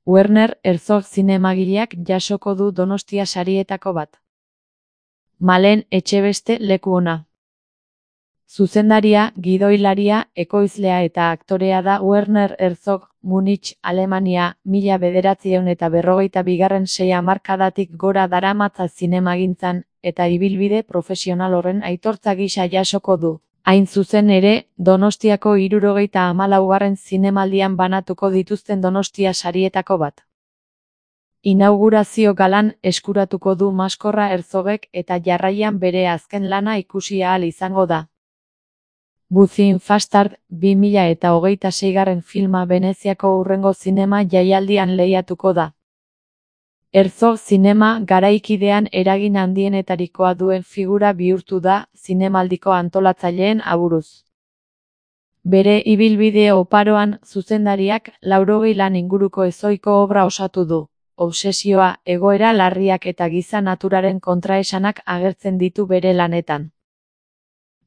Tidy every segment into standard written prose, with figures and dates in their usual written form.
Werner Herzog zinemagileak jasoko du Donostia sarietako bat. Malen Etxebeste leku ona. Zuzendaria, gidoilaria, ekoizlea eta aktorea da Werner Herzog, Munich, Alemania, 1952 sei hamarkadatik gora daramatza zinemagintzan, eta ibilbide profesional horren aitortza gisa jasoko du. Hain zuzen ere, Donostiako 74. zinemaldian banatuko dituzten Donostia sarietako bat. Inaugurazio galan eskuratuko du maskorra Herzogek eta jarraian bere azken lana ikusi ahal izango da. Buzzing Fastard 2026. filma Veneziako hurrengo zinema jaialdian lehiatuko da. Herzog zinema garaikidean eragin handienetarikoa duen figura bihurtu da zinemaldiko antolatzaileen aburuz. Bere ibilbide oparoan zuzendariak 80 lan inguruko ezohiko obra osatu du. Obsesioa, egoera larriak eta giza naturaren kontraesanak agertzen ditu bere lanetan.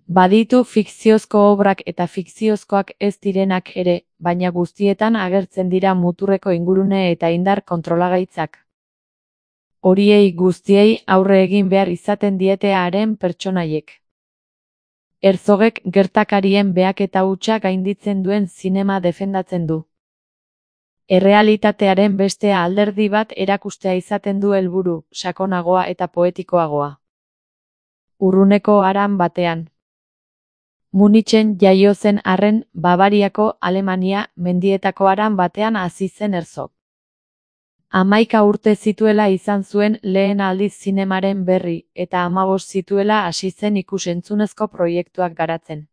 Baditu fikziozko obrak eta fikziozkoak ez direnak ere, baina guztietan agertzen dira muturreko ingurune eta indar kontrolagaitzak. Horiei guztiei aurre egin behar izaten diete haren pertsonaiek. Herzogek gertakarien behaketa hutsa gainditzen duen zinema defendatzen du. Errealitatearen beste alderdi bat erakustea izaten du helburu, sakonagoa eta poetikoagoa. Urruneko haran batean. Munichen jaio zen arren, Bavariako, Alemania, mendietako haran batean hasi zen Herzog. 11 urte zituela izan zuen lehen aldiz zinemaren berri, eta 15 zituela hasi zen ikus-entzunezko proiektuak garatzen.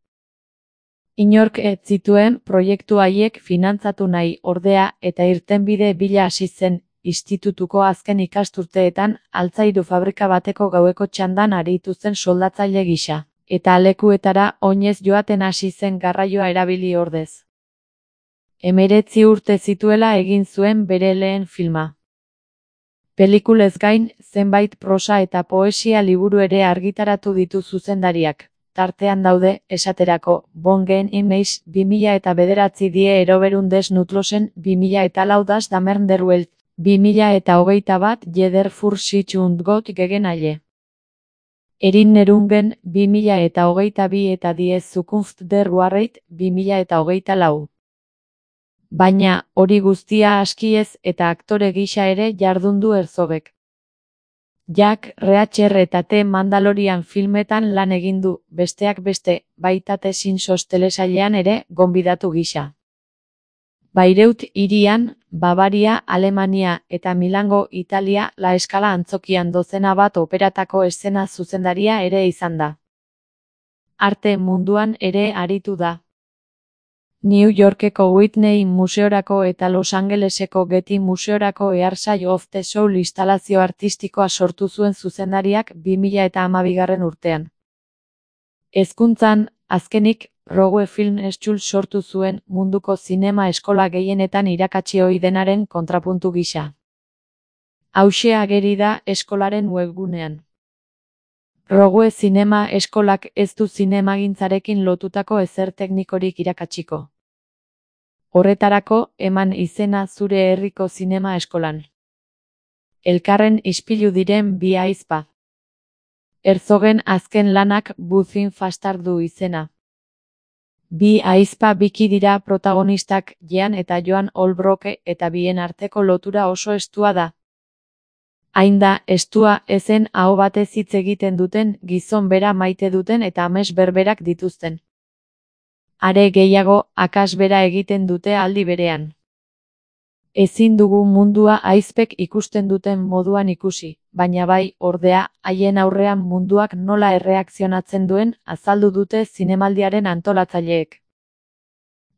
Inork ez zituen proiektu haiek finantzatu nahi, ordea, eta irtenbide bila hasi zen, institutuko azken ikasturteetan, altzairu fabrika bateko gaueko txandan aritu zen soldatzaile gisa, eta lekuetara oinez joaten hasi zen garraioa erabili ordez. 19 urte zituela egin zuen bere lehen filma. Pelikulez gain, zenbait prosa eta poesia liburu ere argitaratu ditu zuzendariak. Tartean daude, esaterako, Bongen Imeiz 2009 die Eroberun des Nutlosen 2004 das Damern der Welt 2021 Jeder für sich und Gott gegen alle. Erinnerungen 2022 eta Die Zukunft der Wahrheit 2024. Baina, hori guztia askiez eta aktore gisa ere jardundu Herzogek. Jack Reacher eta The Mandalorian filmetan lan egin du, besteak beste, baita The Simpsons telesailean ere gonbidatu gisa. Bayreuth hirian, Bavaria, Alemania eta Milango, Italia, La Scala antzokian dozena bat operatako eszena zuzendaria ere izan da. Arte munduan ere aritu da. New Yorkeko Whitney Museorako eta Los Angeleseko Getty Museorako Earshade of the Soul instalazio artistikoa sortu zuen zuzendariak 2012. urtean. Hezkuntzan, azkenik, Rogue Film School sortu zuen munduko zinema eskola gehienetan irakatsi ohi denaren kontrapuntu gisa. Hauxe ageri da eskolaren webgunean. Rogue Zinema eskolak ez du zinemagintzarekin lotutako ezer teknikorik irakatsiko. Horretarako, eman izena zure herriko zinema eskolan. Elkarren ispilu diren bi ahizpa. Herzogen azken lanak Buzzing Fastard du izena. Bi ahizpa biki dira protagonistak, Jean eta Joan Holbrook, eta bien arteko lotura oso estua da. Hain da, estua ezen aho batez hitz egiten duten, gizon bera maite duten eta ames berberak dituzten. Are gehiago, akats bera egiten dute aldi berean. Ezin dugu mundua ahizpek ikusten duten moduan ikusi, baina bai, ordea, haien aurrean munduak nola erreakzionatzen duen azaldu dute zinemaldiaren antolatzaileek.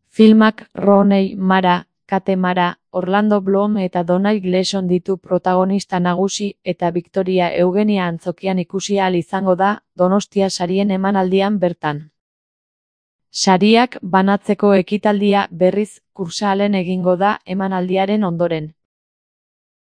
Filmak Rooney Mara, Kate Mara, Orlando Bloom eta Domhnall Gleeson ditu protagonista nagusi eta Victoria Eugenia antzokian ikusi ahal izango da Donostia sarien emanaldian bertan. Sariak banatzeko ekitaldia berriz Kursaalen egingo da emanaldiaren ondoren.